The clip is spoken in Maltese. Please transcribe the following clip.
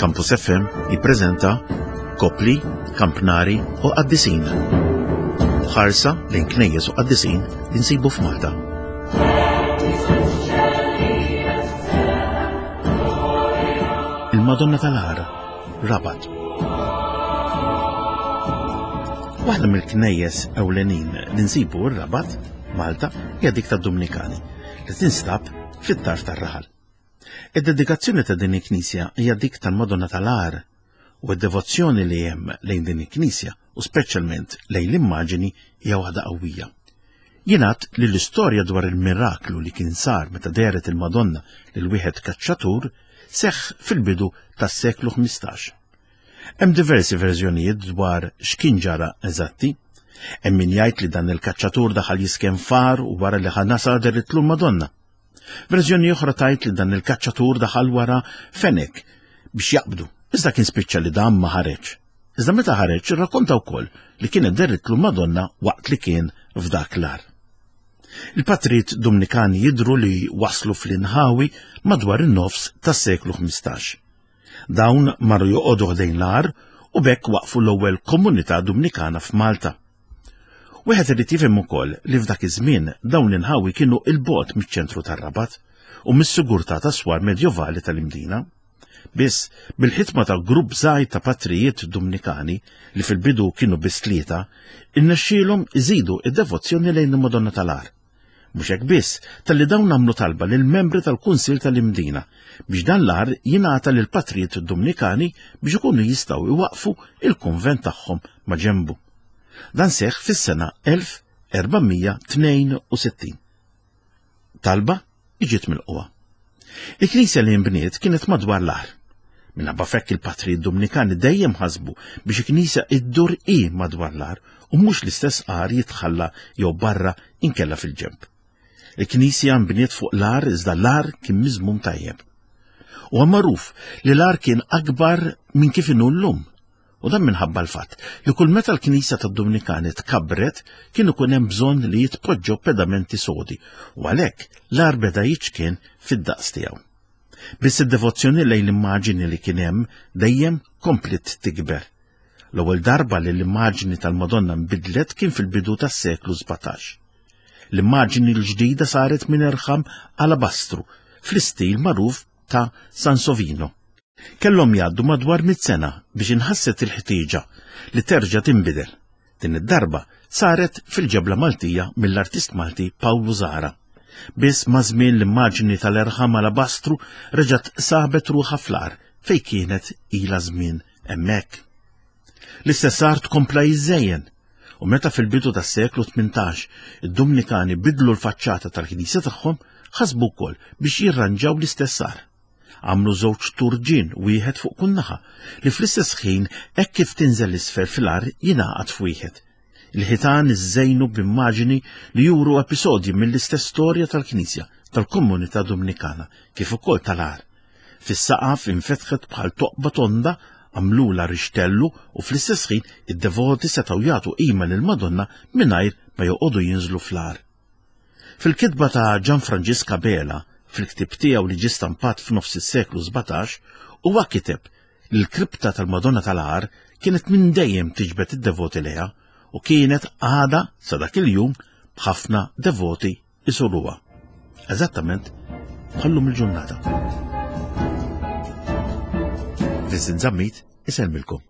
Campus FM jippreżenta Kopli, Kampnari u Qaddisin. Ħarsa lejn knejjes u qaddisin li nsibu f'Malta. Il-Madonna tal-Għar, Rabat. Waħda mill-knejjes ewlenin li nsibu r-Rabat, Malta, hija dik tad-Dumnikani, li tinstab fit-tarf tar-raħal. Id-dedikazzjoni ta' din il-knisja hija dik tal-Madonna tal-Għar u d-devozzjoni li hemm lejn din il-knisja u speċjalment lejn l-immaġini hija waħda qawwija. Jingħad li l-istorja dwar il-miraklu li kien sar meta dehret il-Madonna lil wieħed kaċċatur seħħ fil-bidu tas-seklu 15. Hemm diversi verżjonijiet dwar x'kien ġara eżatti. Hemm min jgħid li dan il-kaċċatur daħal jisken far u wara li ħa nasa deritlu l-Madonna. Verżjoni oħra tgħid li dan il-kaċċatur daħal wara fenek biex jaqbdu, iżda kien spiċċa li dan ma ħareġ. Iżda meta ħareġ irrakkonta wkoll li kienet deritlu Madonna waqt li kien f'dak l-ar. Il-patrijiet Dumnikani jidhru li waslu fl-inħawi madwar in-nofs tas-seklu 15. Dawn marru joqogħdu ħdejn l-għar u b'hekk waqfu l-ewwel komunità Dumnikana f'Malta. Wieħed irid jifhem ukoll li f'dak iż-żmien dawn l-inħawi kienu 'il bogħod miċ-ċentru tar-Rabat u mis-sigurtà tas-swar medjovali tal-Imdina. Biss, bil-ħidma ta' grupp żgħir ta' patrijiet Dumnikani, li fil-bidu kienu biss tlieta, irnexxielhom iżidu d-devozzjoni lejn il-Madonna tal-Għar. Mhux hekk biss, talli dawn għamlu talba lill-membri tal-Kunsill tal-Imdina biex dan l-għar jingħata lill-patrijiet Dumnikani biex ikunu jistgħu jwaqqfu il-kunvent tagħhom ma' ġenbu. Dan seħħ fis-sena 1462. Talba li ġiet milqugħa. Il-knisja li nbniet kienet madwar l-għar. Minħabba fekk il-patrijiet Dumnikani dejjem ħasbu biex il-knisja iddur hi madwar l-għar u mhux l-istess għar jitħalla jew barra inkella fil-ġenb. Il-knisja nbniet fuq l-għar iżda l-għar kien miżmum tajjeb. Huwa magħruf li l-għar kien akbar minn kif inhu llum. U dan minħabba l-fatt li kull meta l-Knisja tad-Dumnikani tkabbret kien ikun hemm bżonn li jitpoġġew pedamenti sodi u għalhekk l-għar beda jiċkien fid-daqs tiegħu. Biss id-devozzjoni lejn l-immaġini li kien hemm dejjem kompliet tikber. L-ewwel darba li l-immaġni tal-Madonna nbidlet kien fil-bidu tas-seklu 17. L-immaġni l-ġdida saret minn irħam alabastru fl-istil magħruf ta' Sansovino. Kellhom jgħaddu madwar mitt sena biex inħasset il-ħtieġa li terġa' tinbidel. Din id-darba saret fil-ġebla Maltija mill-artist Malti Pawlu Zahra. Biss maż-żmien l-immaġni tal-erħam alabastru reġgħet sabet ruħha fl-għar fejn kienet ilha żmien hemmhekk. L-istess art kompla jiżżejjen u meta fil-bidu tas-seklu 18 id-Dumnikani bidlu l-faċċata tal-knisja tagħhom, ħasbu wkoll biex jirranġaw l-istess għar. Għamlu żewġ turġien wieħed fuq kull naħa li fl-istess ħin hekk kif tinżel isfel fil-għar jingħaqad f'wieħed. Il-ħitan iżżejnu b'immaġini li juru episodji mill-istess storja tal-Knisja tal-komunità Dumnikana kif ukoll tal-għar. Fis-saqaf infetħet bħal toqba tonda għamlulha rixtellu u fl-istess ħin id-devoti setgħu jagħtu qima lill-Madonna mingħajr ma joqogħdu jinżlu fl-għar. Fil-kitba ta' Ġan Franġisk Abela, fil-ktieb tiegħu li ġie stampat f'nofs is-seklu 17, huwa kiteb li l-kripta tal-Madonna tal-Għar kienet minn dejjem tiġbed id-devoti lejha u kienet għadha sa dak il-jum b'ħafna devoti jżuruha. Eżattament bħal-lum il-ġurnata. Vincent Zammit isellmilkom.